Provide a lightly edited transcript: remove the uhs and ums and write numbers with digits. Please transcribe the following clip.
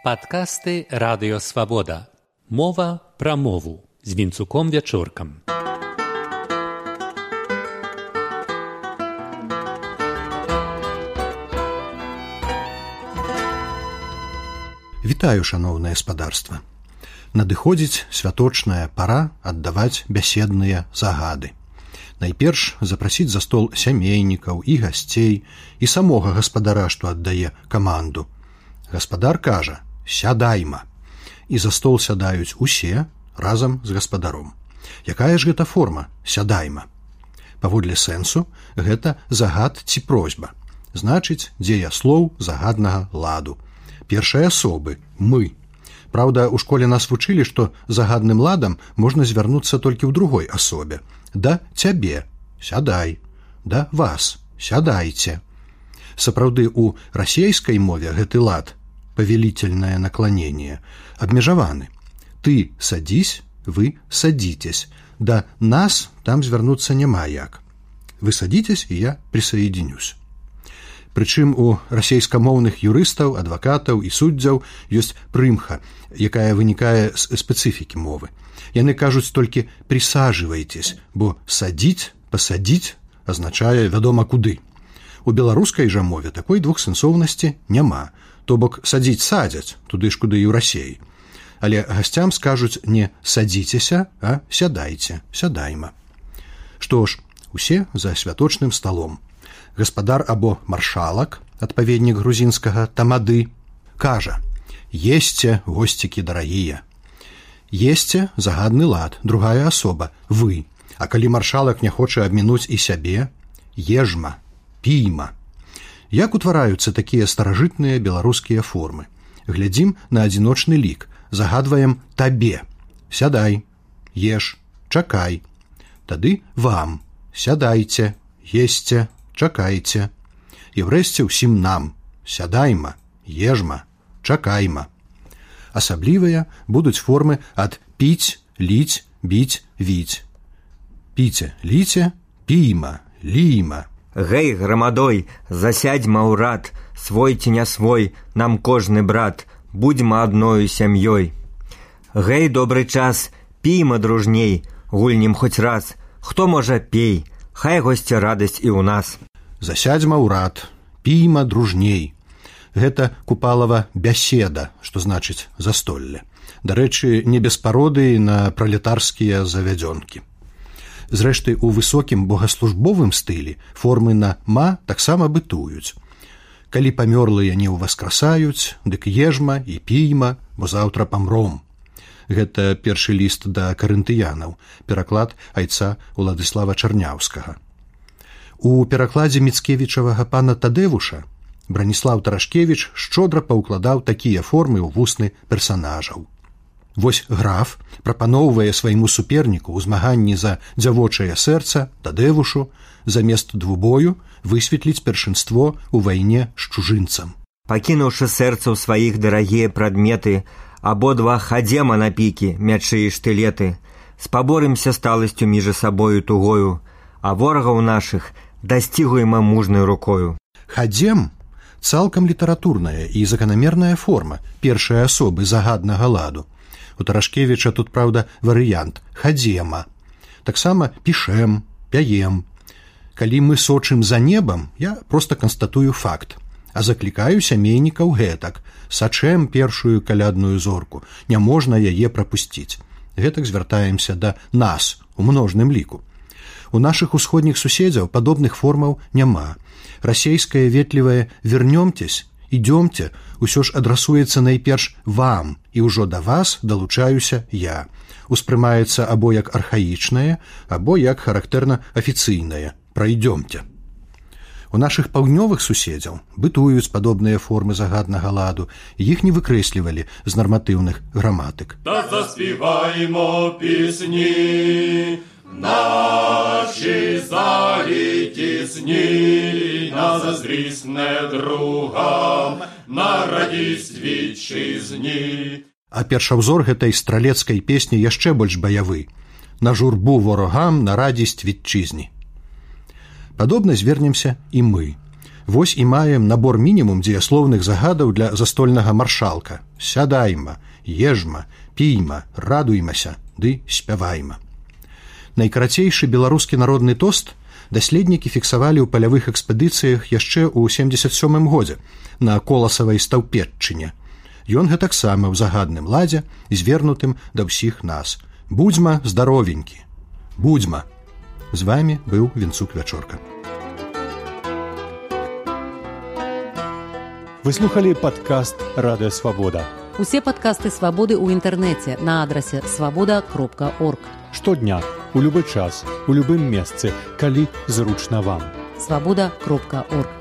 Падкасты Радыё Свабода. Мова пра мову з Вінцуком Вячоркам. Вітаю, шаноўнае спадарства. Надыходзіць святочная пара аддаваць бяседныя загады. Найперш запрасіць за стол сямейнікаў і гасцей, і самога гаспадара, што аддае каманду. Гаспадар кажа: «Сядайма». І за стол сядаюць усе разам з гаспадаром. Якая ж гэта форма «сядайма»? Паводле сэнсу, гэта загад ці просьба. Значыць, дзеяслоў загаднага ладу. Першай асобы «мы». Праўда, у школе нас вучылі, што загадным ладам можна звярнуцца толькі ў другой асобе. Да цябе – сядай, да вас – сядайце. Сапраўды, у расейскай мове гэты лад, повелительное наклонение, абмежаваны. Ты садись, вы садитесь. Да нас там звярнуцца няма як. Вы садитесь, и я присоединюсь. Прычым у расейскамоўных юрыстаў, адвакатаў і суддзяў ёсць прымха, якая вынікае з спецыфікі мовы. Яны кажуць толькі «присаживайтесь», бо «садіць», «пасадіць» азначае вядома куды. У беларускай жа мове такой двухсэнсоўнасці няма, то бок садзіць садзяць, туды ж куды і ў Расіі. Але гасцям скажуць не «садзіцеся», а «сядайце», «сядайма». Што ж, усе за святочным сталом. Гаспадар або маршалак, адпаведнік грузінскага тамады, кажа: «Есце, госцікі дарагія». Есце – загадны лад, другая асоба – вы. А калі маршалак не хоча абмінуць і сябе – ежма, пійма. Як утвараюцца такія старажытныя беларускія формы? Глядзім на адзіночны лік. Загадваем табе – сядай, еш, чакай. Тады вам – сядайце, есце, чакайце. І врэшце ўсім нам – сядайма, ежма, чакайма. Асаблівыя будуць формы ад піць, ліць, біць, віць. Піце, ліце, пійма, лійма. Гэй, грамадой, засядьма ў рад, свой ці не свой, нам кожны брат, будзьма адною сям'ёй. Гэй, добры час, пійма дружней, гульнем хоць раз, хто можа пей, хай госці радасць і ў нас. Засядьма ў рад, пійма дружней. Гэта Купалава бяседа, што значыць застолле. Дарэчы, не без пародыі на пралетарскія завядзёнкі. Зрэшты, у высокім богаслужбовым стылі формы на «ма» таксама бытуюць. Калі памёрлыя не ўваскрасаюць, дык ежма і пійма, бо заўтра памром. Гэта першы ліст да карынтыянаў, пераклад айца Уладыслава Чарняўскага. У перакладзе міцкевічавага пана Тадэвуша Браніслаў Тарашкевіч шчодра паўкладаў такія формы ў вусны персанажаў. Вось граф прапаноўвае свайму суперніку ў змаганні за дзявочае сэрца Тадэвушу замест двубою высветліць першынство ў вайне з чужынцам. Пакінуўшы сэрцу сваіх дарагія прадметы, абодва хадзема на пікі, мячы і штылеты, спаборымся сталасцю між сабою тугою, а ворагаў нашых дасцігуема мужнай рукою. Хадзем цалкам літаратурная і заканамерная форма першай асобы загаднага ладу. У Тарашкевіча тут, праўда, варыянт «хадзема». Таксама пішэм, пяем. Калі мы сочым за небам, я проста канстатую факт, а заклікаю сямейнікаў гэтак: сачэм першую калядную зорку, не можна яе прапусціць. Гэтак звяртаемся да нас у множным ліку. У нашых усходніх суседзяў падобных формаў няма. Расейскае ветлівае «вернёмтесь», «ідёмце» усё ж адрасуецца найперш вам, і ўжо да вас далучаюся я. Успрымаецца або як архаічнае, або як характэрна афіцыйнае «прайдёмце». У нашых паўднёвых суседзяў бытуюць падобныя формы загаднага ладу, іх не выкрэслівалі з нарматыўных граматык. Та заспіваймо пісні, наші залі тісні, на заздрісне другам, на радість вітчизні. А першаўзор гэтай стралецкай песні яшчэ больш баявы: на журбу ворогам, на радість вітчызні. Падобна звернемся і мы. Вось і маем набор мінімум дзеяслоўных загадаў для застольнага маршалка. Сядайма, ежма, пійма, радуймася, ды спявайма. Найкарацейшы беларускі народны тост даследнікі фіксавалі ў палявых экспедыцыях яшчэ ў 77 годзе на Коласавай Стаўпетчыне. Ён гэтаксама ў загадным ладзе і звернутым да ўсіх нас. Будзьма здаровенькі. Будзьма. З вамі быў Вінцук Вячорка. Вы слухали падкаст «Радыё Свабода». Усе падкасты «Свабоды» ў інтэрнэце на адрасе свабода.орг. Штодня, у любы час, у любым месцы, калі зручна вам. Свабода.орг.